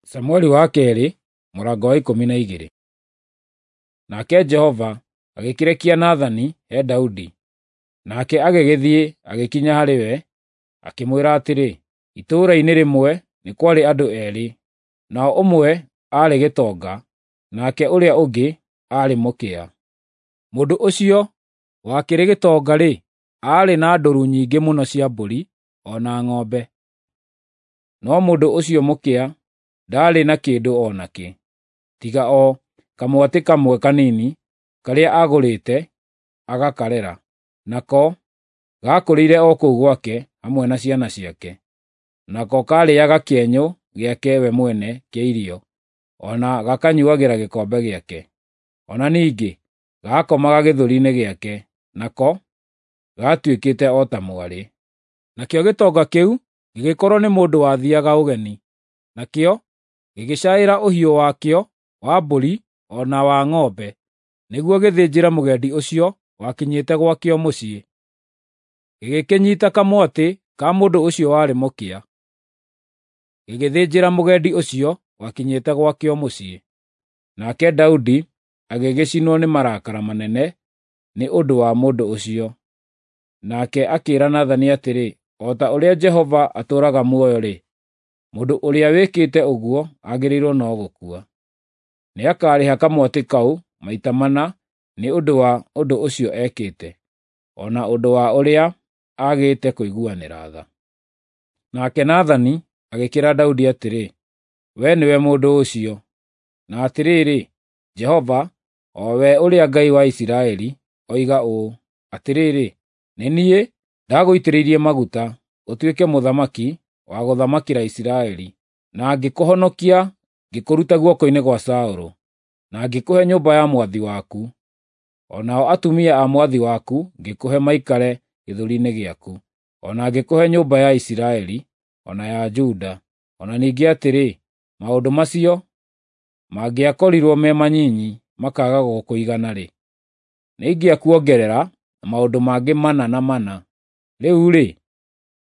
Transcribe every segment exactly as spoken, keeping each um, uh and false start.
Samueli wa kerĩ mũrango wa ikũmi na igĩrĩ. Nake Jehova agĩkĩrekia Nathani he Daudi, nake agĩgĩthiĩ agĩkinya harĩ we, akĩmwĩra atĩrĩ, itũũra-inĩ rĩmwe nĩ kwarĩ andũ erĩ, nao ũmwe aarĩ gĩtonga, nake ũrĩa ũngĩ aarĩ mũkĩa. Mũndũ ũcio wakĩrĩ gĩtonga-rĩ, aarĩ na ndũru nyingĩ mũno cia mbũri o na ng'ombe, no mũndũ ũcio mũkĩa ndaarĩ na kĩndũ o nakĩ, tiga o kamwatĩ kamwe kanini karĩa aagũrĩte agakarera, nako gaakũrĩire o kũu gwake hamwe na ciana ciake. Nako kaarĩaga kĩenyũ gĩake we mwene kĩa irio, o na gakanyuuagĩra gĩkombe gĩake. O na ningĩ gaakomaga gĩthũri-inĩ gĩake, nako gaatuĩkĩte o ta mwarĩ. Nakĩo gĩtonga kĩu gĩgĩkorwo nĩ mũndũ wathiiaga ũgeni, nakĩo gĩgĩcaĩra ũhiũ wakĩo wa mbũri o na wa ng'ombe, nĩguo gĩthĩnjĩre mũgendi ũcio wakinyĩte gwakĩo mũciĩ. Gĩgĩkĩnyiita kamwatĩ ka mũndũ ũcio warĩ mũkĩa, gĩgĩthĩnjĩra mũgendi ũcio wakinyĩte gwakĩo mũciĩ. Nake Daudi agĩgĩcinwo nĩ marakara manene nĩ ũndũ wa mũndũ ũcio. Nake akĩĩra Nathani atĩrĩ, “O ta ũrĩa Jehova atũũraga muoyo-rĩ, mũndũ ũrĩa wĩkĩte ũguo agĩrĩirwo no gũkua. Nĩakarĩha kamwatĩ kau maita mana nĩ ũndũ wa ũndũ ũcio ekĩte, o na ũndũ wa ũrĩa aagĩte kũiguanĩra tha.” Nake Nathani agĩkĩĩra Daudi atĩrĩ, “Wee nĩwe mũndũ ũcio. Na atĩrĩrĩ, Jehova, o we ũrĩa Ngai wa Isiraeli, oiga ũũ: Atĩrĩrĩ, nĩ niĩ ndagũitĩrĩirie maguta ũtuĩke mũthamaki wa gũthamakĩra Isiraeli, na ngĩkũhonokia ngĩkũruta guoko-inĩ gwa Saũlũ, na ngĩkũhe nyũmba ya mwathi waku. O nao atumia a mwathi waku ngĩkũhe maikare gĩthũri-inĩ gĩaku, o na ngĩkũhe nyũmba ya Isiraeli o na ya Juda. O na ningĩ atĩrĩ, maũndũ macio mangĩakorirwo me manyinyi makaaga gũkũigana-rĩ, nĩingĩakuongerera maũndũ mangĩ mana na mana. Rĩu-rĩ,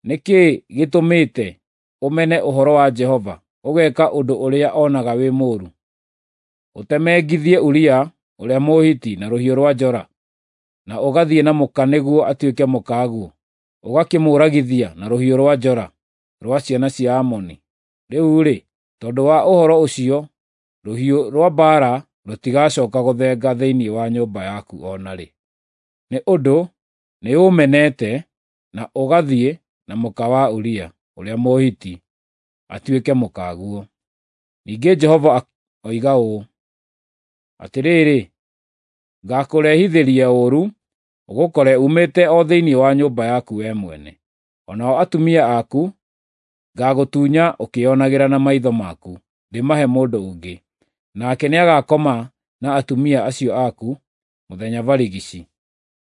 nĩ kĩĩ gĩtũmĩte ũmene ũhoro wa Jehova, ũgeeka ũndũ ũrĩa onaga wĩ mũũru, ũtemengithie Uria ũrĩa Mũhiti na rũhiũ rwa njora, na ũgathiĩ na mũka nĩguo atuĩke mũkaguo, ũgakĩmũũragithia na rũhiũ rwa njora rwa ciana cia Amoni? Rĩu-rĩ, tondũ wa ũhoro ũcio rũhiũ rwa mbaara rũtigacooka gũthenga thĩinĩ wa nyũmba yaku o na rĩ, nĩ ũndũ nĩũũmenete na ũgathiĩ na mũka wa Uria ũrĩa Mũhiti atuĩke mũkaguo. Ningĩ Jehova oiga ũũ: Atĩrĩrĩ, ngaakũrehithĩria ũũru ũgũkore uumĩte o thĩinĩ wa nyũmba yaku wee mwene. O nao atumia aku ngaagũtunya ũkĩĩonagĩra na maitho maku, ndĩmahe mũndũ ũngĩ, nake nĩagakoma na atumia acio aku mũthenya barigici.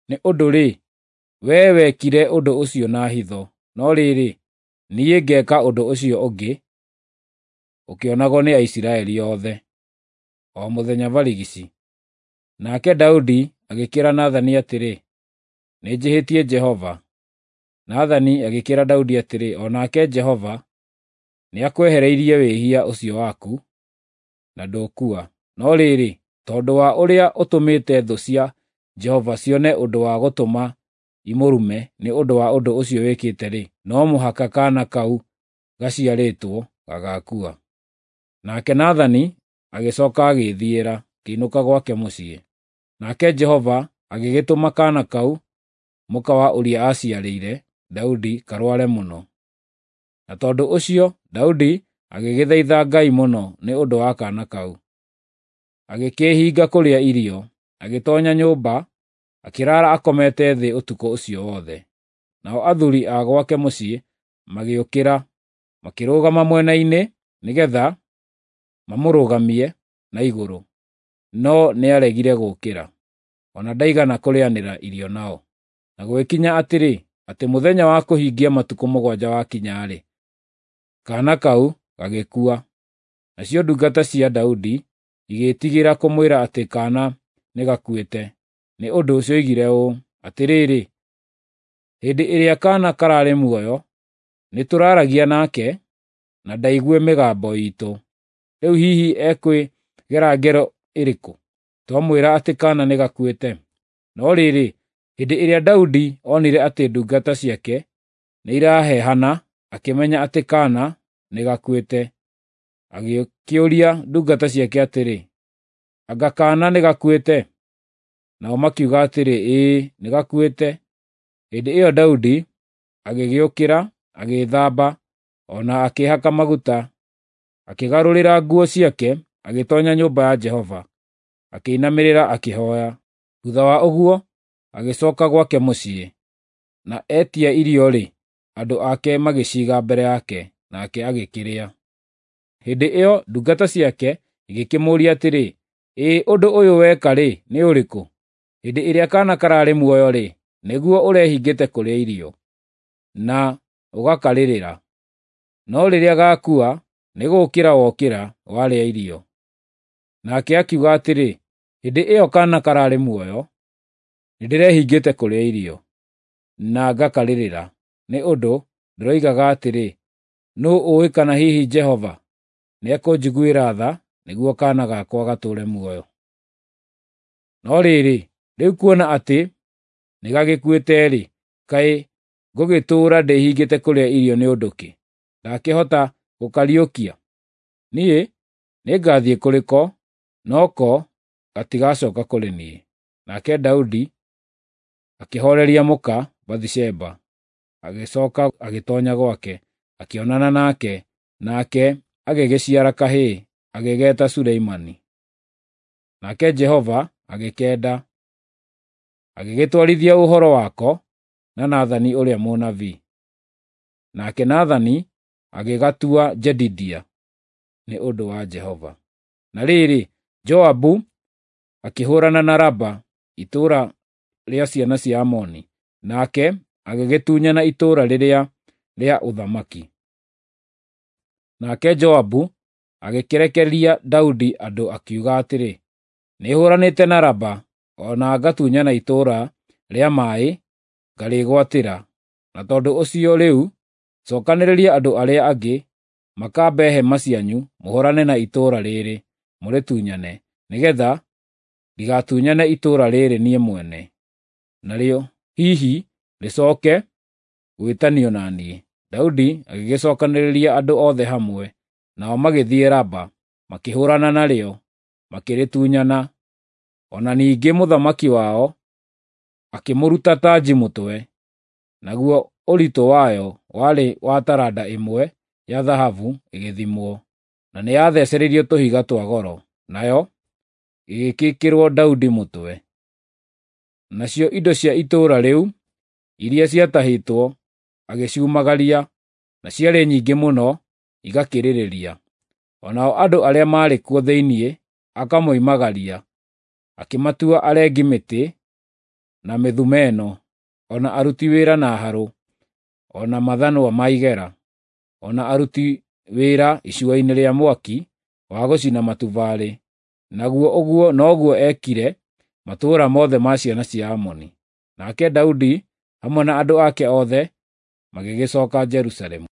Nĩ ũndũ-rĩ, wee wekire ũndũ ũcio na hitho, no rĩrĩ, niĩ ngeeka ũndũ ũcio ũngĩ ũkĩonagwo nĩ Aisiraeli othe, o mũthenya barigici. Nake Daudi agĩkĩĩra Nathani atĩrĩ, “Nĩnjĩhĩtie Jehova.” Nathani agĩkĩĩra Daudi atĩrĩ, “O nake Jehova nĩakwehereirie wĩhia ũcio waku, na ndũkua. No rĩrĩ, tondũ wa ũrĩa ũtũmĩte thũ cia Jehova cione ũndũ wa gũtũma imũrume nĩ ũndũ wa ũndũ ũcio wĩkĩte-rĩ, no mũhaka kaana kau gaciarĩtwo gagaakua.” Nake Nathani agĩcooka agĩĩthiĩra, akĩinũka gwake mũciĩ. Nake Jehova agĩgĩtũma kaana kau mũka wa Uria aaciarĩire Daudi karware mũno. Na tondũ ũcio Daudi agĩgĩthaitha Ngai mũno nĩ ũndũ wa kaana kau. Agĩkĩĩhinga kũrĩa irio, agĩtoonya nyũmba, akĩraara akomete thĩ ũtukũ ũcio wothe. Nao athuuri a gwake mũciĩ magĩũkĩra, makĩrũgama mwena-inĩ nĩgeetha mamũrũgamie na igũrũ, no nĩaregire gũũkĩra, o na ndaigana kũrĩanĩra irio nao. Na gũgĩkinya atĩrĩ, atĩ mũthenya wa kũhingia matukũ mũgwanja wakinya-rĩ, kaana kau gagĩkua. Nacio ndungata cia Daudi igĩĩtigĩra kũmwĩra atĩ kaana nĩgakuĩte, nĩ ũndũ cioigire ũũ, “Atĩrĩrĩ, hĩndĩ ĩrĩa kaana kararĩ muoyo, nĩtũraaragia nake, na ndaigue mĩgambo iitũ. Rĩu hihi ekwĩgera ngero ĩrĩkũ, twamwĩra atĩ kaana nĩgakuĩte?" No rĩrĩ, hĩndĩ ĩrĩa Daudi onire atĩ ndungata ciake nĩirahehana, akĩmenya atĩ kaana nĩgakuĩte. Agĩkĩũria ndungata ciake atĩrĩ, "Anga kaana nĩgakuĩte?" Nao makiuga atĩrĩ, "Ĩĩ, nĩgakuĩte." Hĩndĩ ĩyo Daudi agĩgĩũkĩra, agĩĩthamba, o na akĩĩhaka maguta, akĩgarũrĩra nguo ciake, agĩtoonya nyũmba ya Jehova, akĩinamĩrĩra akĩhooya. Thuutha wa ũguo, agĩcooka gwake mũciĩ, na etia irio-rĩ, andũ ake magĩciiga mbere yake, nake agĩkĩrĩa. Hĩndĩ ĩyo ndungata ciake igĩkĩmũũria atĩrĩ, "Ĩ ũndũ ũyũ weka-rĩ, nĩ ũrĩkũ? Hĩndĩ ĩrĩa kaana kararĩ muoyo-rĩ, nĩguo ũrehingĩte kũrĩa irio, na ũgakarĩrĩra. No rĩrĩa gaakua, nĩgũũkĩra wokĩra, warĩa irio." Nake akiuga atĩrĩ, "Hĩndĩ ĩyo kaana kararĩ muoyo, nĩndĩrehingĩte kũrĩa irio, na ngakarĩrĩra, nĩ ũndũ ndĩroigaga atĩrĩ, 'Nũũ ũũĩ kana hihi Jehova nĩekũnjiguĩra tha nĩguo kaana gakwa gatũũre muoyo?' No rĩrĩ, rĩu kuona atĩ nĩgagĩkuĩte-rĩ, kaĩ ngũgĩtũũra ndĩhingĩte kũrĩa irio nĩ ũndũ kĩ? Ndakĩhota gũkariũkia? Niĩ nĩngathiĩ kũrĩ ko, no ko gatigacooka kũrĩ niĩ." Nake Daudi akĩhooreria mũka Bathisheba, agĩcooka agĩtoonya gwake, akĩonana nake, nake agĩgĩciara kahĩĩ, agĩgeeta Suleimani. Nake Jehova agĩkenda, agĩgĩtwarithia ũhoro wako na Nathani ũrĩa mũnabii. Nake Nathani agĩgatua Jedidia nĩ ũndũ wa Jehova. Na rĩrĩ, Joabu akĩhũũrana na Raba, itũũra rĩa ciana cia Amoni, nake agĩgĩtunyana itũũra rĩrĩa rĩa ũthamaki. Nake Joabu agĩkĩrekeria Daudi andũ akiuga atĩrĩ, "Nĩhũũranĩte na Raba, o na ngatunyana itũũra rĩa maaĩ ngarĩĩgwatĩra. Na tondũ ũcio rĩu cookanĩrĩria andũ arĩa angĩ makambe hema cianyu mũhũũrane na itũũra rĩĩrĩ, mũrĩtunyane, nĩgeetha ndigatunyane itũũra rĩĩrĩ niĩ mwene, narĩo hihi rĩcooke gwĩtanio na niĩ." Daudi agĩgĩcookanĩrĩria andũ othe hamwe, nao magĩthiĩ Raba, makĩhũũrana narĩo, makĩrĩtunyana. O na ningĩ mũthamaki wao akĩmũruta tanji mũtwe, naguo ũritũ wayo warĩ wa taranda ĩmwe ya thahabu ĩgĩthimwo, na nĩyathecereirio tũhiga twa goro, nayo ĩgĩgĩĩkĩrwo Daudi mũtwe. Nacio indo cia itũũra rĩu iria ciatahĩtwo agĩciumagaria, na ciarĩ nyingĩ mũno igakĩrĩrĩria. O nao andũ arĩa maarĩ kuo thĩinĩ akamoimagaria, akĩmatua arengi mĩtĩ na mĩthumeno, o na aruti wĩra na harũ, o na mathanwa ma igera, o na aruti wĩra icua-inĩ rĩa mwaki wa gũcina matubarĩ. Naguo ũguo noguo eekire matũũra mothe ma ciana cia Amoni. Nake Daudi hamwe na andũ ake othe magĩgĩcooka Jerusalemu.